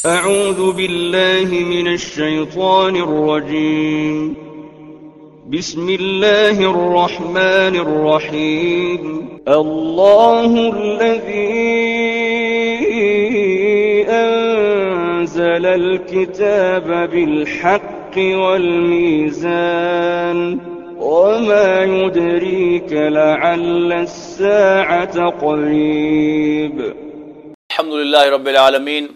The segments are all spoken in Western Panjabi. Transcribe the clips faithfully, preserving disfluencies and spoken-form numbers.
أعوذ بالله من الشيطان الرجيم. بسم الله الرحمن الرحيم. الله الذي أنزل الكتاب بالحق والميزان. وما يدريك لعل الساعة قريب. الحمد لله رب العالمين،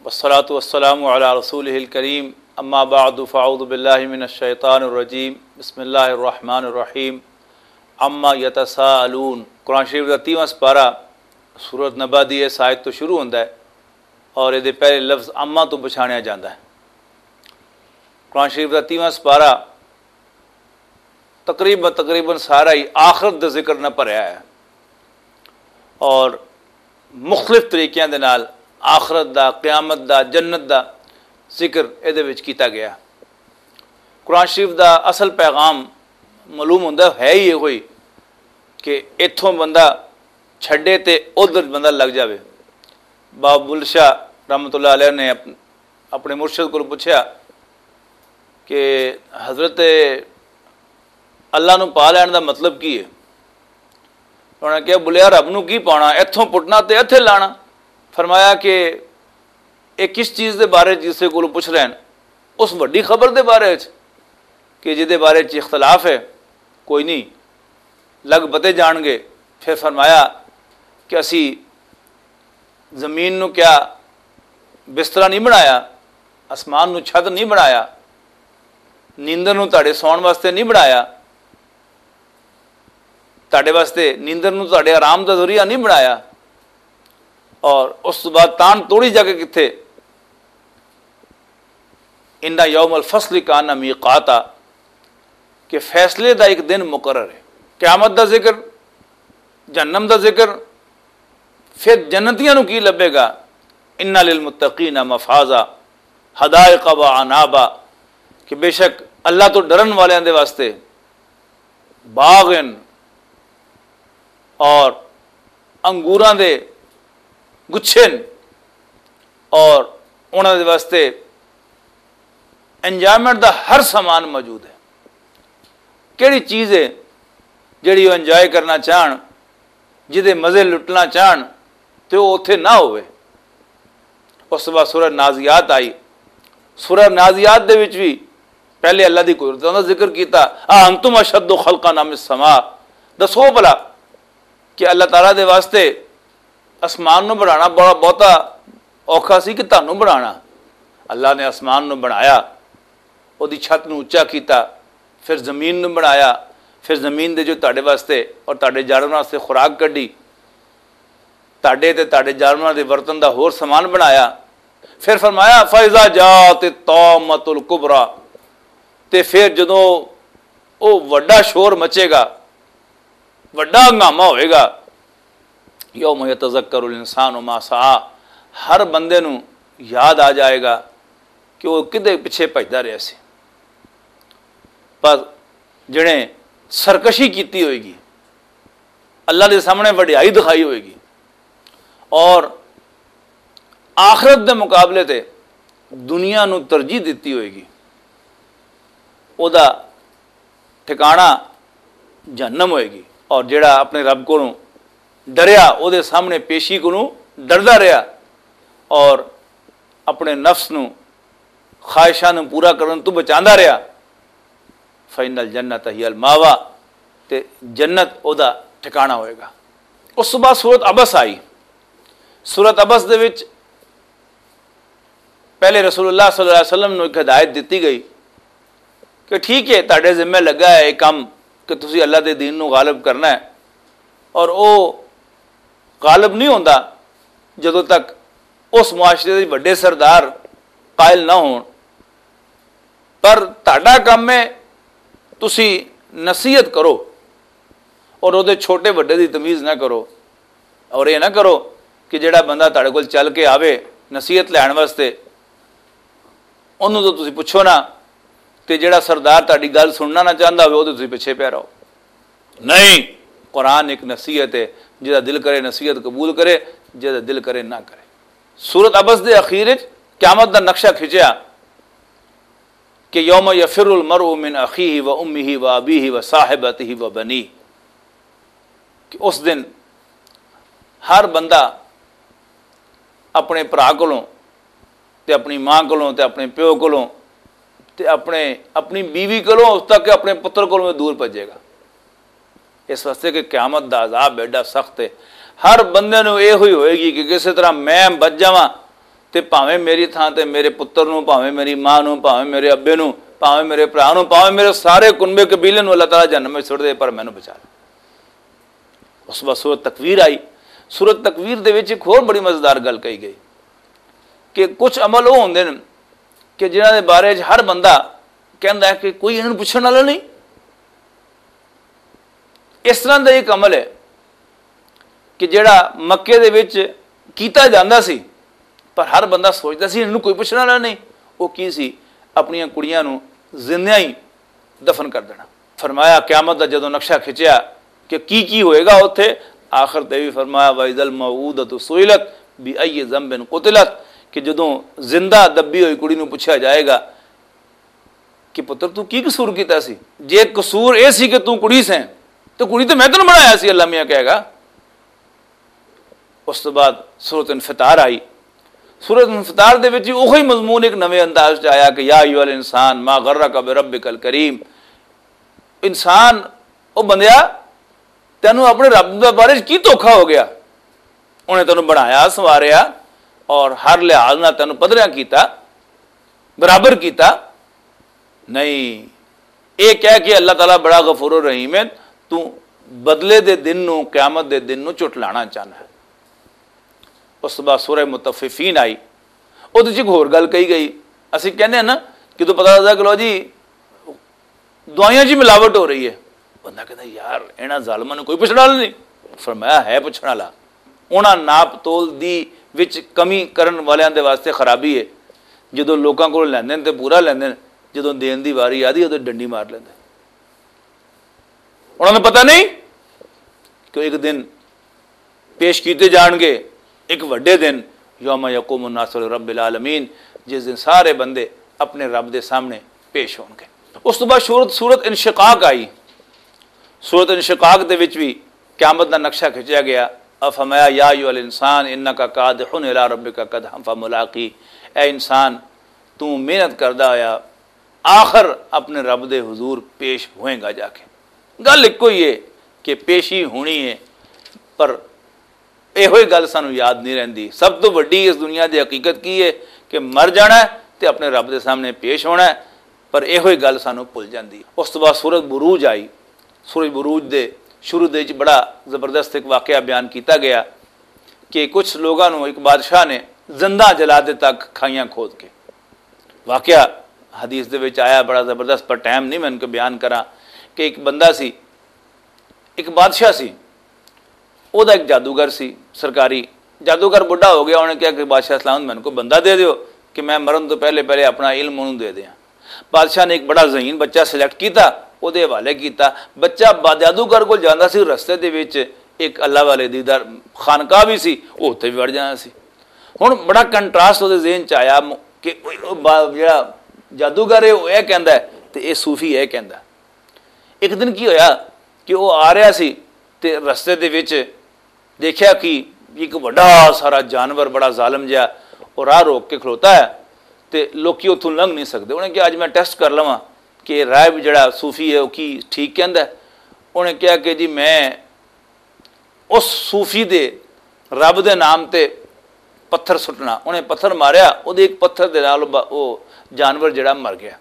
والصلاة والسلام على رسوله الكريم، أما بعد، فأعوذ بالله من الشيطان الرجيم، بسم الله الرحمن الرحيم، عما يتساءلون۔ قرآن شریف دا تیواں سپارہ سورت نبا دی اس آیت تو شروع ہوندا ہے اور اے دے پہلے لفظ اما تو پچھانیا جاندا ہے۔ قرآن شریف دا تیواں سپارہ تقریباً تقریباً سارا ہی آخرت دا ذکر نہ بھریا ہے، اور مختلف طریقیاں دے نال آخرت دا، قیامت دا، جنت دا ذکر اے دے وچ کیتا گیا۔ قرآن شریف دا اصل پیغام معلوم ہوندا ہے ہی یہ ہوئی کہ اتھوں بندہ چھڈے تے ادھر بندہ لگ جاوے۔ بابا بل شاہ رحمۃ اللہ علیہ نے اپ- اپنے مرشد کو پوچھا کہ حضرت اللہ نو پا لین دا مطلب کی ہے؟ انہوں نے کہا، بولیا، رب نو کی پانا؟ اتھوں پٹنا تے اتھے لانا۔ فرمایا کہ ایک کس چیز دے بارے جسے کو پوچھ رہے ہیں، اس وڈی خبر دے بارے چ کہ جدے بارے چ اختلاف ہے، کوئی نہیں، لگ پتے جان گے۔ پھر فرمایا کہ اسی زمین نو کیا بسترا نہیں بنایا، آسمان نو چھت نہیں بنایا، نیندر نو تہاڈے سون واسطے نہیں بنایا، تہاڈے واسطے نیندر نو تہاڈے آرام دا ذریعہ نہیں بنایا۔ اور اس تو بعد تان توڑی جا کے کتھے؟ ان یوم الفصل کان میقاتا، کہ فیصلے دا ایک دن مقرر ہے۔ قیامت دا ذکر، جہنم دا ذکر، پھر جنتیاں نو کی لبے گا؟ ان للمتقین مفازا، حدائق و عنابا، کہ بے شک اللہ تو ڈرن والیاں دے واسطے باغ ہن اور انگوراں دے گچھے ہن، اور انہاں دے واسطے انجوائمنٹ دا ہر سامان موجود ہے۔ کیڑی چیز ہے جیڑی وہ انجوائے کرنا چاہن، جدے مزے لٹنا چاہن، تے وہ اتھے نہ ہوئے۔ اس وقت سورہ نازیات آئی۔ سورہ نازیات دے وچ بھی پہلے اللہ دی قدرتوں دا ذکر کیتا، "اَأَنْتُمْ أَشَدُّ خَلْقًا أَمِ السَّمَاءُ۔" دسو بھلا کہ اللہ تعالیٰ دے واسطے آسمان نو بنانا بڑا بہتا اوکھا سی کہ تانوں بنانا؟ اللہ نے آسمان نو بنایا، او دی چھت نو اچا کیتا، پھر زمین نو بنایا، پھر زمین دے جو تہاڈے واسطے اور تہاڈے جانوراں واسطے خوراک کڈی، تہاڈے تے تہاڈے جانوراں دے ورتن دا ہور سامان بنایا۔ پھر فرمایا، "فَإِذَا جَاءَتِ الطَّامَّةُ الْكُبْرَى۔" تے پھر جدوں او وڈا شور مچے گا، وڈا ہنگامہ ہوئے گا، یوم یتذکر الانسان ما سعی، ہر بندے نو یاد آ جائے گا کہ وہ کدے پچھے بھجدا رہیا سی۔ پر جنے سرکشی کیتی ہوئے گی، اللہ دے سامنے وڈیائی دکھائی ہوئے گی اور آخرت دے مقابلے تے دنیا نو ترجیح دتی ہوئے گی، او دا ٹھکانہ جہنم ہوئے گی۔ اور جڑا اپنے رب کو ڈریا، او دے سامنے پیشی کو ڈردا رہیا اور اپنے نفس نو خواہشاں نو پورا کرن تو بچاندا رہیا، فَإِنَّ الْجَنَّةَ هِيَ الْمَأْوَى، تے جنت او دا ٹھکانہ ہوئے گا۔ اس تو بعد سورت عبس آئی۔ سورت عبس دے وچ پہلے رسول اللہ صلی اللہ علیہ وسلم نو ایک ہدایت دتی گئی کہ ٹھیک ہے، تہاڈے ذمہ لگا ہے یہ کام کہ تسی اللہ دے دین نو غالب کرنا ہے، اور او غالب نہیں ہوندا جدوں تک اس معاشرے دے وڈے سردار قائل نہ ہون۔ پر تہاڈا کم ہے، تسی نصیحت کرو اور اودے چھوٹے وڈے دی تمیز نہ کرو۔ اور یہ نہ کرو کہ جڑا بندہ تہاڈے کول چل کے آوے نصیحت لین واسطے، انہوں تو تسی پوچھو نہ، تے جڑا سردار تہاڈی گل سننا نہ چاہندا ہوئے، اودے تسی پچھے پیا رہو۔ نہیں، قرآن ایک نصیحت ہے، جدا دل کرے نصیحت قبول کرے، جدا دل کرے نہ کرے۔ سورت عبس دے اخیر وچ قیامت دا نقشہ کھچیا کہ یوم یفر المرء من اخیہ و امہ و ابیہ و صاحبتہ و بنیہ، کہ اس دن ہر بندہ اپنے بھرا کولوں تے اپنی ماں کولوں تے اپنے پیو کولوں تے اپنے اپنی بیوی کولوں اس تک کہ اپنے پتر کولوں دور بھجے گا۔ اس واسطے کہ قیامت دا عذاب ایڈا سخت ہے، ہر بندے نوں یہ ہوئی ہوئے گی کہ کسی طرح میں بچ جاواں، تے بھاویں میری تھاں تے میرے پتر نوں، بھاویں میری ماں نوں، بھاویں میرے ابے نوں، بھاویں میرے بھرا نوں، بھاویں میرے سارے کنبے قبیلے نوں اللہ تعالیٰ جہنم وچ سٹ دے، پر مینوں بچا لے۔ اس وقت سورت تکویر آئی۔ سورت تکویر دے وچ ایک ہور بڑی مزیدار گل کہی گئی کہ کچھ عمل وہ ہوندے نے کہ جنہاں دے بارے وچ ہر بندہ کہندا ہے کہ کوئی انہاں نوں پوچھن والا نہیں۔ اس طرح دا ایک عمل ہے کہ جڑا مکے دے وچ کیتا جاندا سی، پر ہر بندہ سوچدا سی، "انہاں نوں کوئی پوچھن والا نہیں۔" وہ کی سی؟ اپنیاں کڑیاں نوں زندیاں ہی دفن کر دینا۔ فرمایا، قیامت دا جدوں نقشہ کھچیا کہ کی کی ہوئے گا اوتھے، آخر تے بھی فرمایا، "وَإِذَا الْمَوْءُودَةُ سُئِلَتْ بِأَيِّ ذَنبٍ قُتِلَتْ"، کہ جدوں زندہ دبی ہوئی کڑی نوں پوچھا جائے گا کہ پتر، تو کی قصور کیتا سی؟ جے قصور اے سی کہ تو کڑی سیں، تو کڑی تے میں تینوں بنایا سی، اللہ میاں کہے گا۔ اس تو بعد سورت انفطار آئی۔ سورت انفطار دے وچ وہی مضمون ایک نویں انداز چ آیا کہ یا ایھا الانسان ما غرک بربک الکریم، انسان، او بندیا، تینوں اپنے رب دے بارے چ کی دھوکھا ہو گیا؟ انہیں تینوں بنایا، سنواریا اور ہر لحاظ نال تینوں پدریاں کیتا، برابر کیتا۔ نہیں، یہ کہہ کے اللہ تعالیٰ بڑا غفور الرحیم ہے، تو بدلے دے دن نو، قیامت دے دن نو چٹلانا چاہنا ہے۔ اس بعد سورہ متففین آئی، وہ تو ایک ہور گل کہی گئی۔ اسی کہنے ہیں نا کہ تو پتہ لگدا کہ لو جی، دوائیاں جی ملاوٹ ہو رہی ہے۔ بندہ کہتا، "یار، انہاں ظالماں نوں کوئی پچھڑا نہیں۔" فرمایا، "ہے پچھڑا لا۔" انہاں ناپ تول دی وچ کمی کرن والیاں دے واسطے خرابی ہے۔ جدوں لوکاں کول لیندے نے تے پورا لیندے نے، جدوں دین دی واری آدی، ادوں ڈنڈی مار لیندے۔ انہاں نوں پتہ نہیں کہ ایک دن پیش کیتے جان گے، ایک وڈے دن، یوم یقوم الناس لرب العالمین، جس دن سارے بندے اپنے رب دے سامنے پیش ہون گے۔ اس تو بعد سورت سورت انشقاق آئی۔ سورت انشقاق دے وچ بھی قیامت دا نقشہ کھچیا گیا۔ افمایا، یا ایھا الانسان انک کادح الی ربک قدحا فملاقی، اے انسان، تو محنت کردا ہویا آخر اپنے رب دے حضور پیش ہوئیں گا جا کے۔ گل ایک ہی ہے کہ پیشی ہونی ہے، پر ایہو ہی گل سانوں یاد نہیں رہندی۔ سب تو وڈی اس دنیا دی حقیقت کی ہے کہ مر جانا ہے تے اپنے رب دے سامنے پیش ہونا ہے، پر ایہو ہی گل سانوں بھل جاندی۔ اس تو بعد سورج بروج آئی۔ سورج بروج دے شروع دے وچ بڑا زبردست ایک واقعہ بیان کیتا گیا کہ کچھ لوگاں نوں ایک بادشاہ نے زندہ جلا دتا، کھائیاں کھود کے۔ واقعہ حدیث دے وچ آیا، بڑا زبردست، پر ٹائم نہیں میں ان کو بیان کراں کہ ایک بندہ سی، ایک بادشاہ سی، او دا ایک جادوگر سی سرکاری۔ جادوگر بڈھا ہو گیا، انہیں کہا کہ بادشاہ اسلام، میں ان کو بندہ دے دیو کہ میں مرن تو پہلے پہلے اپنا علم انہوں دے دیاں۔ بادشاہ نے ایک بڑا ذہین بچہ سلیکٹ کیتا، او دے حوالے کیتا۔ بچہ با-، جادوگر کو جاندا سی، رستے دے وچ ایک اللہ والے دی در خانقاہ بھی سی، او اتھے بھی وڑ جانا سی۔ ہن بڑا کنٹراسٹ اودے ذہن چ آیا م-، کہ او با-، جڑا جادوگر ہے، او اے کہندا ہے تے اے صوفی اے کہندا ہے۔ ایک دن کی ہویا کہ او آ رہا سی تے رستے دے وچ دیکھیا کہ ایک وڈا سارا جانور، بڑا ظالم جہا، او راہ روک کے کھلوتا ہے تے لوکی اتھوں لنگھ نہیں سکدے۔ انہیں کہا، اج میں ٹیسٹ کر لواں کہ راہب جڑا صوفی ہے، او کی ٹھیک کہندا ہے۔ انہیں کہا کہ جی، میں اس صوفی دے رب دے نام تے پتھر سٹنا۔ انہیں پتھر ماریا، او دے ایک پتھر دے نال او با-، او جانور جڑا مر گیا۔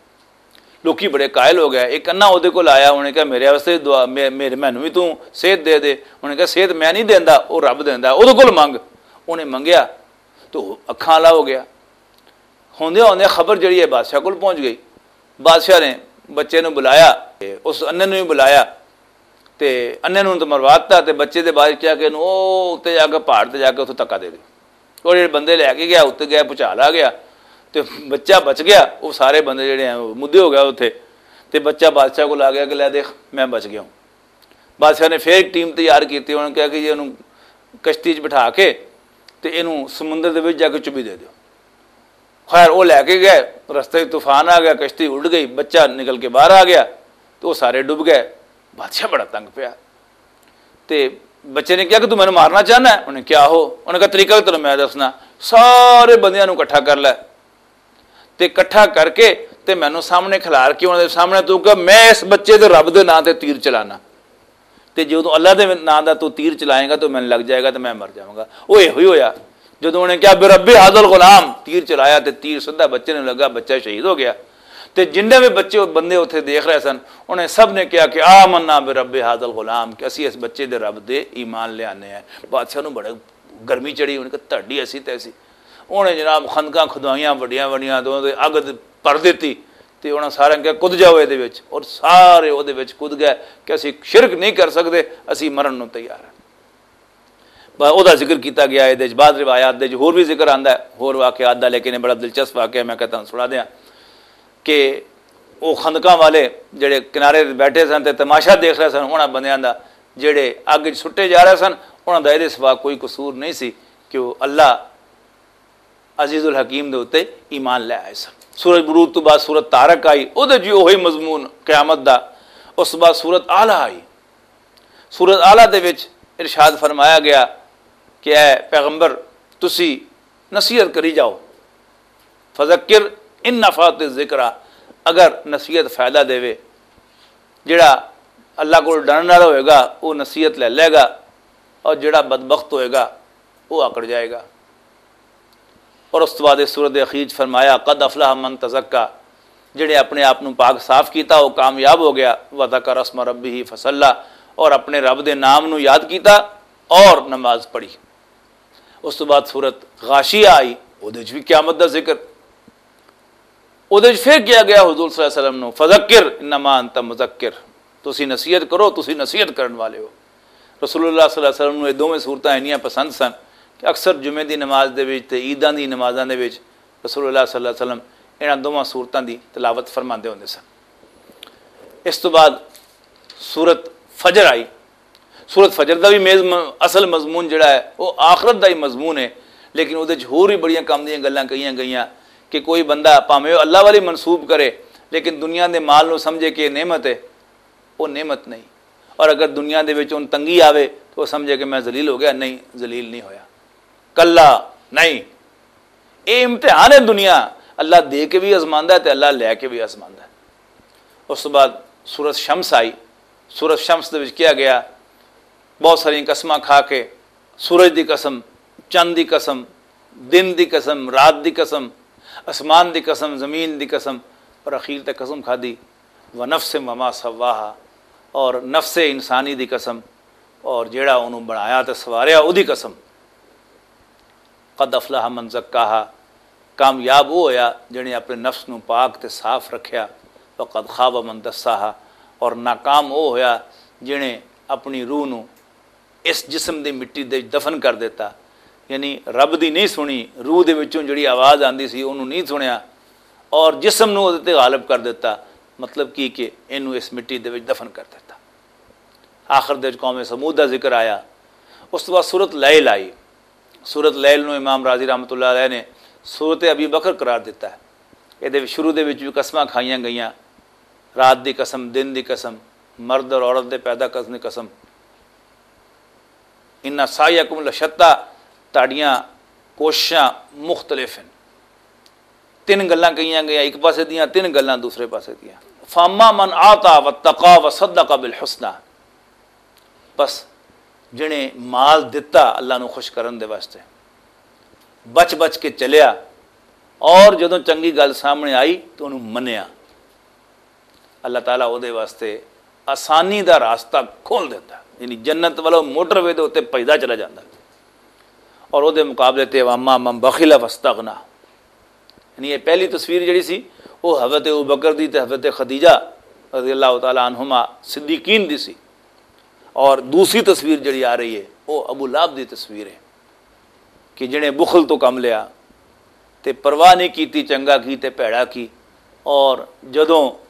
لوکی بڑے قائل ہو گئے۔ ایک انا او دے کول آیا، انہیں کہا، میرے واسطے دعا، مے-، میرے، مینوں بھی تو صحت دے دے۔ انہیں کہا، صحت میں نہیں دیندا، او رب دیندا، او دے کول منگ۔ انہیں منگیا تو اکھاں والا ہو گیا۔ ہوندے ہوندے خبر جڑی ہے بادشاہ کول پہنچ گئی۔ بادشاہ نے بچے نوں بلایا، تے اس انے نوں بھی بلایا، تے انے نوں تو مروا دتا، تے بچے دے بارے کیا کہ انہوں او تے جا کے پہاڑ تے جا کے اتھوں تکا دے دے۔ اور جڑے بندے لے کے گیا، اتنے گیا، پچھال آ گیا، تے بچہ بچ گیا۔ وہ سارے بندے جڑے ہیں، وہ مدے ہو گئے اتھے۔ تے بچہ بادشاہ کول آ گیا کہ لے دیکھ، میں بچ گیا ہوں۔ بادشاہ نے پھر ایک ٹیم تیار کیتی، انہوں نے کہا کہ جی انہوں کشتی 'چ بٹھا کے تے انہوں سمندر دے وچ جا کے چبی دے دیو۔ خیر، وہ لے کے گئے، رستے 'چ طوفان آ گیا، کشتی اڈ گئی، بچہ نکل کے باہر آ گیا، تو وہ سارے ڈب گئے۔ بادشاہ بڑا تنگ پیا۔ تے بچے نے کہا کہ "تم مینوں مارنا چاہنا ہے؟" انہیں کیا ہو؟ انہیں کہا، "طریقہ تینوں میں دسنا، سارے بندیاں نوں اکٹھا کر لے، تے اکٹھا کر کے تے مینوں سامنے کھلار کے انہاں دے سامنے تو کہ میں اس بچے دے رب دے ناں تے تیر چلانا، تے جدوں اللہ دے ناں دا تو تیر چلائیں گا تو مینوں لگ جائے گا تے میں مر جاواں گا۔" وہ ایہو ہی ہویا۔ جدوں انہیں کہا، "برب هذا الغلام"، تیر چلایا تے تیر سدھا بچے نوں لگا، بچہ شہید ہو گیا۔ تے جنہیں بھی بچے، بندے اتھے دیکھ رہے سن، انہیں سب نے کہا کہ "آمنا برب هذا الغلام"، کہ اسی اس بچے دے رب دے ایمان لے آنے ہیں۔ بادشاہ نوں بڑے گرمی چڑھی، انہیں کہا، "تہاڈی ایسی تیسی۔" انہیں جناب خندقاں کھدوائیاں وڈیاں وڈیاں، تے انہاں دے اگ پر دتی، تے انہاں سارے کہا، "کد جاؤ اے دے وچ"، اور سارے او دے وچ کد گئے کہ "اسی شرک نہیں کر سکدے، اسی مرن نوں تیار ہیں۔" بس او دا ذکر کیتا گیا اے دے وچ۔ بعض روایات دے وچ ہور بھی ذکر آندا ہے، ہور واقعات دا، لیکن یہ بڑا دلچسپ واقعہ، میں کہتا ہوں سنا دیاں کہ وہ خندقاں والے جڑے کنارے تے بیٹھے سن تے تماشا دیکھ رہے سن، انہاں بندیاں دا، جڑے اگ وچ سٹے جا رہے سن، انہاں دا اے دے سوا کوئی قصور نہیں سی کہ وہ اللہ عزیز الحکیم دے اُتے ایمان لے آئے سن۔ سورج بروج تو بعد سورت طارق آئی، اودے جی اوہی مضمون قیامت دا۔ اس بعد سورت اعلیٰ آئی۔ سورت اعلیٰ دے وچ ارشاد فرمایا گیا کہ اے پیغمبر، تسی نصیحت کری جاؤ۔ فذکر ان نفعت الذکریٰ، اگر نصیحت فائدہ دے وے، جڑا اللہ کو ڈرن والا ہوئے گا، وہ نصیحت لے لے گا، اور جڑا بدبخت ہوئے گا، وہ آکڑ جائے گا۔ اور اس بعد اس سورت اخیر چ فرمایا، "قد افلح من تزکا"، جڑے اپنے آپ نو پاک صاف کیتا، وہ کامیاب ہو گیا۔ "وذکر اسم ربہ فصلی"، اور اپنے رب دے نام نو یاد کیتا اور نماز پڑھی۔ اس تو بعد سورت غاشیہ آئی، اودے وچ بھی قیامت دا ذکر۔ اودے وچ پھر کیا گیا حضور صلی اللہ علیہ وسلم نو، "فذکر انما انت مذکر"، تسی نصیحت کرو، تسی نصیحت کرن والے ہو۔ رسول اللہ صلی اللہ علیہ وسلم نو یہ دوویں سورتاں انیاں پسند سن کہ اکثر جمعے دی نماز دے وچ تے عیداں دی نمازاں دے وچ رسول اللہ صلی اللہ علیہ وسلم انہاں دوواں سورتاں دی تلاوت فرماندے ہوندے سن۔ اس تو بعد سورت فجر آئی۔ سورت فجر دا بھی میز-، م-، اصل مضمون جڑا ہے، وہ آخرت دا ہی مضمون ہے، لیکن اودے وچ ہور بھی بڑیاں کم دیاں گلاں کہیاں گئیاں کہ کوئی بندہ بھاویں وہ اللہ والی منسوب کرے، لیکن دنیا دے مال نو سمجھے کہ یہ نعمت ہے، وہ نعمت نہیں۔ اور اگر دنیا دے وچ ان تنگی آوے تو وہ سمجھے کہ میں ذلیل ہو گیا، نہیں، ذلیل نہیں ہویا۔ کلا، نہیں، یہ امتحان ہے دنیا، اللہ دے کے بھی آزماندا ہے تے اللہ لے کے بھی آزماندا ہے۔ اس تو بعد سورت شمس آئی۔ سورت شمس دے وچ کیا گیا، بہت ساری قسماں کھا کے، سورج دی قسم، چند دی قسم، دن دی قسم، رات دی قسم، آسمان دی قسم، زمین دی قسم، اور اخیر تے قسم کھادی، "ونفس وما سواہا"، اور نفس انسانی دی قسم، اور جیڑا انہوں بنایا تے سواریا، اودی قسم۔ "قد افلح من زکاہا"، کامیاب وہ ہویا جنے اپنے نفس نو پاک تے صاف رکھیا۔ "وقد خاب من دساہا"، اور ناکام وہ ہویا جنے اپنی روح نو اس جسم دی مٹی دے وچ دفن کر دیتا۔ یعنی رب دی نہیں سنی، روح دے وچوں جڑی آواز آندی سی، انہوں نہیں سنیا، اور جسم نو اودے تے غالب کر دیتا۔ مطلب کی کہ اینو اس مٹی دے وچ دفن کر دیتا۔ آخر دے وچ قوم سمود دا ذکر آیا۔ اس تو بعد سورت لیل آئی۔ سورت لیل نو امام راضی رحمۃ اللہ علیہ نے سورت ابی بکر قرار دیتا ہے۔ یہ دے شروع دے وچ بھی قسماں کھائیاں گئیاں، رات دی قسم، دن دی قسم، مرد اور عورت دے پیدا کرنے دی قسم۔ "ان سعیکم لشتی"، تہاڈیاں کوششاں مختلف ہیں۔ تین گلاں کہیاں گئیاں ایک پاسے دیاں، تین گلاں دوسرے پاسے دیاں۔ "فاما من اعطی واتقی وصدق بالحسنی"، بس جنے مال دتا اللہ نو خوش کرن دے واسطے، بچ بچ کے چلیا، اور جدوں چنگی گل سامنے آئی تو انہوں منیا، اللہ تعالیٰ او دے واسطے آسانی دا راستہ کھول دیتا، یعنی جنت والا موٹر وے دے اُتے پیدا چلا جاندا۔ اور او دے مقابلے تے "واما من بخل واستغنا"، یعنی یہ پہلی تصویر جڑی سی، وہ حضرت ابو بکر دی تے حضرت خدیجہ رضی اللہ تعالیٰ عنہما صدیقین دی سی، اور دوسری تصویر جڑی آ رہی ہے، وہ ابو لہب دی تصویر ہے کہ جنے بخل تو کم لیا، تے پرواہ نہیں کیتی چنگا کی تے بھیڑا کی، اور جدوں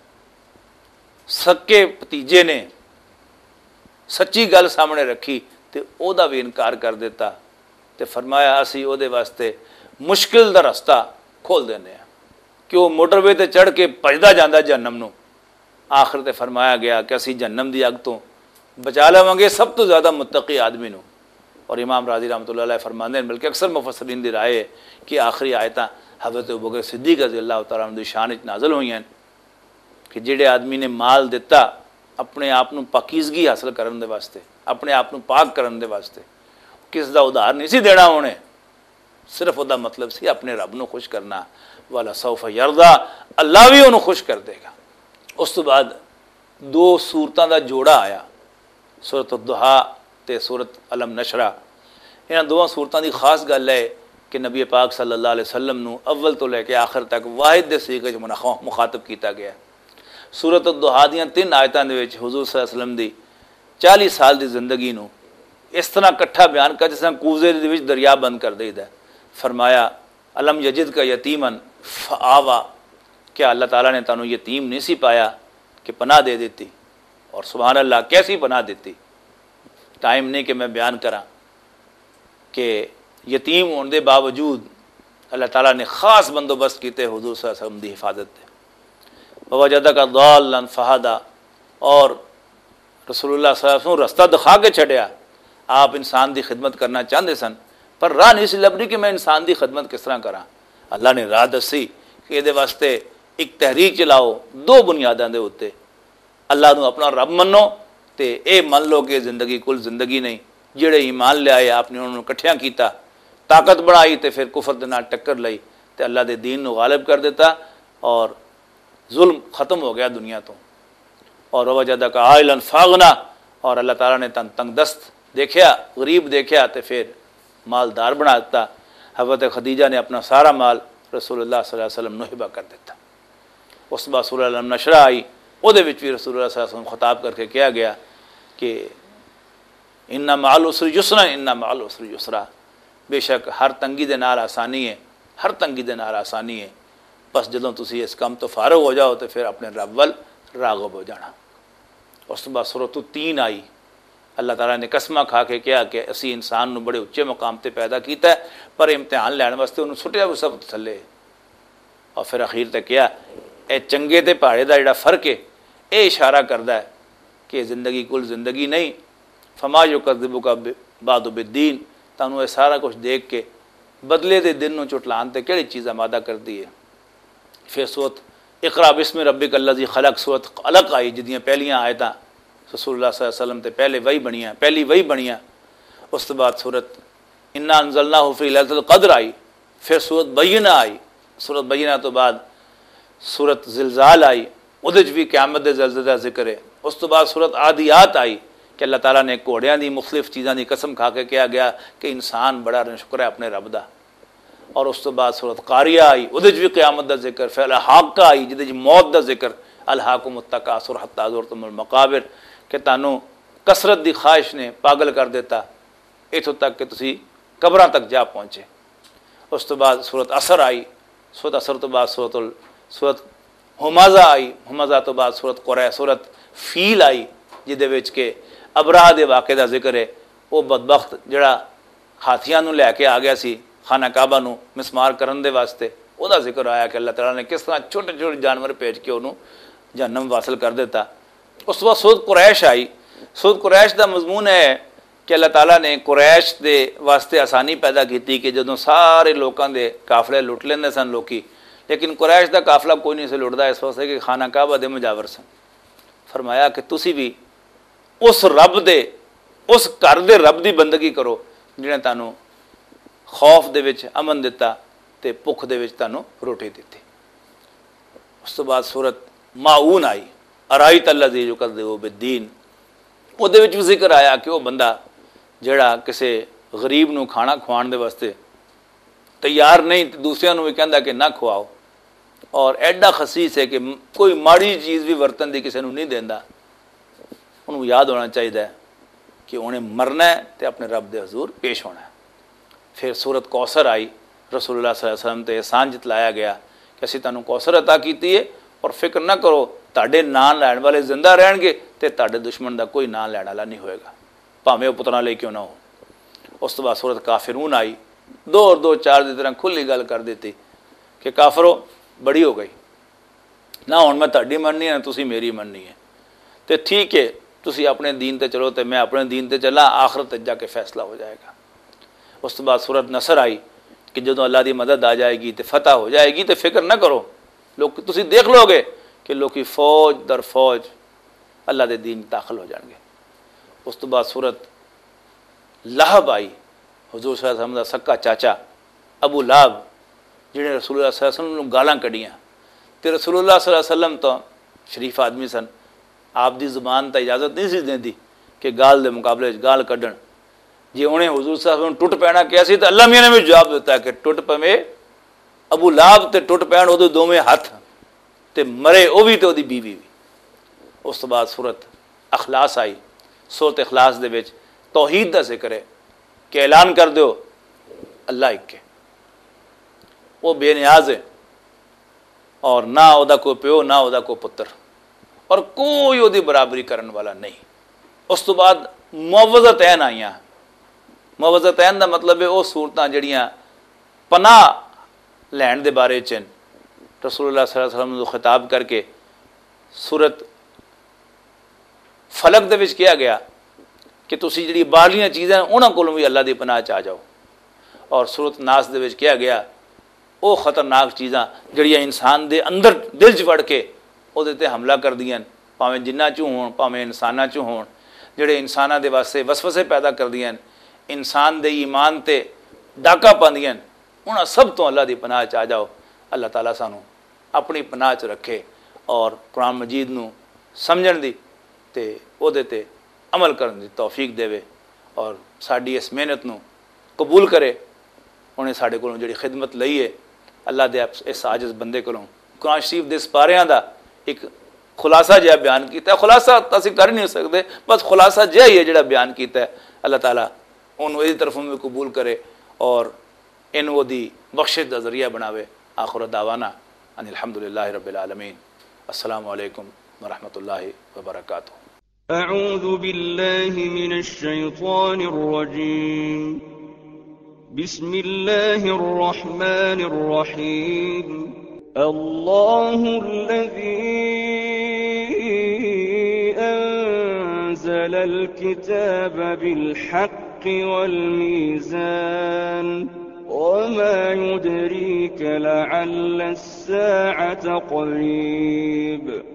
سکے بھتیجے نے سچی گل سامنے رکھی تے او دا بھی انکار کر دیتا، تے فرمایا، "اسی او دے واسطے مشکل دا رستہ کھول دینے ہیں کہ وہ موٹر وے تے چڑھ کے بھجدا جاندا جہنم نو۔ آخر تے فرمایا گیا کہ اسی جہنم دی اگ تو بچا لواں گے سب تو زیادہ متقی آدمی نو۔ اور امام راضی رحمۃ اللہ علیہ فرماندے ہیں، بلکہ اکثر مفسرین دی رائے ہے کہ آخری آیتاں حضرت ابوبکر صدیق رضی اللہ تعالیٰ عنہ دی شان وچ نازل ہوئی ہیں کہ جڑے آدمی نے مال دتا اپنے آپ نو پاکیزگی حاصل کرن دے واسطے، اپنے آپ نو پاک کرن دے واسطے، کس دا ادھار نہیں سی دینا ہونے، صرف او دا مطلب سی اپنے رب نو خوش کرنا۔ والا سوف یردا، اللہ بھی انہوں خوش کر دے گا۔ اس تو بعد دو سورتاں دا جوڑا آیا، سورۃ الضحیٰ تے سورۃ الم نشرہ۔ انہاں دوواں سورتاں دی خاص گل ہے کہ نبی پاک صلی اللہ علیہ وسلم نو اول تو لے کے آخر تک واحد دے صیغے وچ منخ-، مخاطب کیتا گیا۔ سورۃ الضحیٰ دیاں تین آیتاں دے وچ حضور صلی اللہ علیہ وسلم دی چالیس سال دی زندگی نو اس طرح کٹھا بیان کر جس طرح کوزے دے وچ دریا بند کر دئیدا ہے۔ فرمایا، الم یجد کا یتیمن فآوا، کیا اللہ تعالیٰ نے تانوں یتیم نہیں سی پایا کہ پناہ دے دیتی؟ اور سبحان اللہ، کیسی پناہ دیتی؟ ٹائم نہیں کہ میں بیان کراں کہ یتیم ہونے دے باوجود اللہ تعالیٰ نے خاص بندوبست کیتے حضور صلی اللہ علیہ وسلم دی حفاظت دے۔ ووجدک ضالا فہدا، اور رسول اللہ صلی اللہ علیہ وسلم رستہ دکھا کے چھڈیا۔ آپ انسان دی خدمت کرنا چاہندے سن، پر راہ نہیں سی لبھدی کہ میں انسان دی خدمت کس طرح کراں۔ اللہ نے راہ دسی کہ اے دے واسطے ایک تحریک چلاؤ دو بنیاداں دے اُتے، اللہ نو اپنا رب منو تے اے من لو کہ زندگی کل زندگی نہیں۔ جڑے ایمان لے آئے، آپ نے انہاں نوں اکٹھیاں کیتا، طاقت بنائی تے پھر کفر دے نال ٹکر لئی تے اللہ دے دین نوں غالب کر دیتا اور ظلم ختم ہو گیا دنیا تو۔ اور وجدک عائلا فاغنا، اور اللہ تعالیٰ نے تن تنگ دست دیکھیا، غریب دیکھیا تے پھر مالدار بنا دیتا۔ حضرت خدیجہ نے اپنا سارا مال رسول اللہ صلی اللہ علیہ وسلم نوں ہبہ کر دیتا۔ اس بعد سورہ الم نشرہ آئی، او دے وچ بھی رسول اللہ صلی اللہ علیہ وسلم خطاب کر کے کہا گیا کہ ان مع العسر یسرا، ان مع العسر یسرا، بے شک ہر تنگی دے نال آسانی ہے، ہر تنگی دے نال آسانی ہے۔ بس جدوں تسی اس کم تو فارغ ہو جاؤ تے پھر اپنے رب ول راغب ہو جانا۔ اس تو بعد سورۃ التین آئی۔ اللہ تعالیٰ نے قسمہ کھا کے کہا کہ اسی انسان نو بڑے اچے مقام تے پیدا کیتا ہے، پر امتحان لین واسطے انہوں سٹیا بھی سب تھلے۔ اور پھر اخیر تے کہا، اے چنگے تے پہاڑے دا جڑا فرق ہے، اے اشارہ کردا ہے کہ زندگی کل زندگی نہیں۔ فما یکذبک بعد بالدین، تانوں اے سارا کچھ دیکھ کے بدلے دے دن نوں چٹلان تے کہڑی چیز آمادہ کردی ہے؟ پھر سورت اقرا بسم ربک الذی خلق، سورت علق آئی، جدیاں پہلیاں آیتاں رسول اللہ صلی اللہ علیہ وسلم تے پہلے وحی بنیاں، پہلی وحی بنیاں۔ اس تو بعد سورت انا انزلناہ فی لیلۃ القدر آئی، پھر سورت بینہ آئی۔ سورت بینہ تو بعد سورت زلزال آئی، اودے وچ بھی قیامت دے زلزلے دا ذکر ہے۔ اس تو بعد سورت عادیات آئی کہ اللہ تعالیٰ نے گھوڑیاں دی مختلف چیزاں دی قسم کھا کے کہا گیا کہ انسان بڑا ناشکر ہے اپنے رب دا۔ اور اس تو بعد سورت قاریہ آئی، اودے وچ بھی قیامت دا ذکر، پھر الحاقہ آئی جدے وچ موت دا ذکر، الہاکم التکاثر حتی زرتم المقابر، کہ تانوں کثرت دی خواہش نے پاگل کر دیتا، اتھوں تک کہ تسی قبراں تک جا پہنچے۔ اس تو بعد سورت اثر آئی، سورت اثر تو بعد سورت ال-، سورت ہمازہ آئی، ہمازہ تو بعد سورت قرے، سورت فیل آئی، جدے وچ کہ ابراہ دے واقعے دا ذکر ہے۔ وہ بدبخت جڑا ہاتھیاں نوں لے کے آ گیا سی خانہ کعبہ نوں مسمار کرن دے واسطے، او دا ذکر آیا کہ اللہ تعالیٰ نے کس طرح چھوٹے چھوٹے جانور بھیج کے انہوں جہنم واصل کر دیتا۔ اس وقت سورت قریش آئی۔ سورت قریش دا مضمون ہے کہ اللہ تعالیٰ نے قریش دے واسطے آسانی پیدا کیتی کہ جدوں سارے لوکاں دے قافلے لٹ لیندے سن لوکی، لیکن قریش دا قافلہ کوئی نہیں سی لٹدا، اس واسطے کہ خانہ کعبہ دے مجاور سن۔ فرمایا کہ تسی بھی اس رب دے، اس گھر دے رب دی بندگی کرو، جنہیں تانوں خوف دے وچ امن دتا تے بھکھ دے وچ تانوں روٹی دتی۔ اس تو بعد سورت ماعون آئی، ارائیت الذی یکذب بالدین۔ او دے وچ بھی ذکر آیا کہ وہ بندہ جڑا کسے غریب نوں کھانا کھوان دے واسطے تیار نہیں تے دوسریاں نوں بھی کہندا کہ نہ کھواؤ، اور ایڈا خسیس ہے کہ کوئی ماڑی چیز بھی ورتن دی کسے نوں نہیں دیندا۔ انہوں یاد ہونا چاہیدا ہے کہ انہیں مرنا ہے تے اپنے رب دے حضور پیش ہونا ہے۔ پھر سورت کوثر آئی، رسول اللہ صلی اللہ علیہ وسلم تے احسان جتلایا گیا کہ اسی تانوں کوثر عطا کیتی ہے، اور فکر نہ کرو، تہاڈے نام لین والے زندہ رہن گے تے تہاڈے دشمن دا کوئی نام لین والا نہیں ہوئے گا، بھاویں وہ پتراں لے کیوں نہ ہو۔ اس تو بعد سورت کافرون آئی، دو اور دو چار دی طرح کھلی گل کر دیتی۔ کہ کافرو، بڑی ہو گئی، نہ ہن میں تہاڈی مننی ہے، نہ تسی میری مننی ہے۔ تے ٹھیک ہے، تسی اپنے دین تے چلو تے میں اپنے دین تے چلاں، آخرت تے جا کے فیصلہ ہو جائے گا۔ اس تو بعد سورت نصر آئی کہ جدوں اللہ دی مدد آ جائے گی تے فتح ہو جائے گی تے فکر نہ کرو، لوگ تسی دیکھ لو گے کہ لوکی فوج در فوج اللہ دے دین داخل ہو جان گے۔ اس تو بعد سورت لہب آئی، حضور صلی اللہ علیہ وسلم دا سکا چاچا ابو لہب، جنہیں رسول اللہ صلی اللہ علیہ وسلم نوں گالاں کڈیاں۔ تے رسول اللہ صلی اللہ علیہ وسلم تو شریف آدمی سن، آپ دی زبان تا اجازت نہیں سی دیندی کہ گال دے مقابلے وچ گال کڈن۔ جے انہیں حضور صلی اللہ علیہ وسلم ٹوٹ پینا کہیا سی، تے اللہ میاں نے بھی جواب دتا کہ ٹوٹ پوے ابو لہب تے ٹوٹ پین اودے دوویں ہتھ، تے مرے او وی تے اودی بیوی وی۔ اس تو بعد سورت اخلاص آئی۔ سورت اخلاص دے وچ توحید دا ذکر ہے کہ اعلان کر دیو، اللہ ایک ہے، وہ بے نیاز ہے، اور نہ او دا کوئی پیو، نہ او دا کوئی پتر، اور کوئی او دی برابری کرن والا نہیں۔ اس تو بعد معوذتین آئیاں۔ معوذتین دا مطلب ہے او صورتاں جڑیاں پناہ لین دے بارے چ ہن۔ رسول اللہ صلی اللہ علیہ وسلم نوں خطاب کر کے سورت فلق دے وچ کہا گیا کہ تسی جڑی باہرلیاں چیزاں انہاں کولوں بھی اللہ دی پناہ چ آ جاؤ، اور سورت ناس دے وچ کہا گیا او خطرناک چیزاں جڑیاں انسان دے اندر دل چ وڑ کے او دے تے حملہ کردیاں، پاویں جنہاں چوں ہون، پاویں انساناں چوں ہون، جڑے انساناں دے واسطے وسوسے پیدا کردیاں، انسان دے ایمان تے ڈاکہ پاندیاں، انہاں سب تو اللہ دی پناہ چ آ جاؤ۔ اللہ تعالیٰ سانو اپنی پناہ چ رکھے اور قرآن مجید نو سمجھن دی تے او دے تے عمل کرن دی توفیق دے، اور ساڈی اس محنت نو قبول کرے۔ انہیں ساڈے کولوں جڑی خدمت لئی ہے، اللہ دے اس عاجز بندے کولوں قرآن شریف دے سپاریاں دا ایک خلاصہ جہا بیان کیتا ہے۔ خلاصہ تاں اسی کر ہی نہیں سکدے، بس خلاصہ جہا ہی ہے جڑا بیان کیتا ہے۔ اللہ تعالیٰ انہوں اس طرفوں بھی قبول کرے اور انہوں دی بخشش دا ذریعہ بناوے۔ آخر دعوانا ان الحمدللہ رب العالمین۔ السلام علیکم ورحمۃ اللہ وبرکاتہ۔ أعوذ بالله من الشيطان الرجيم. بسم الله الرحمن الرحيم. الله الذي أنزل الكتاب بالحق والميزان. وما يدريك لعل الساعة قريب.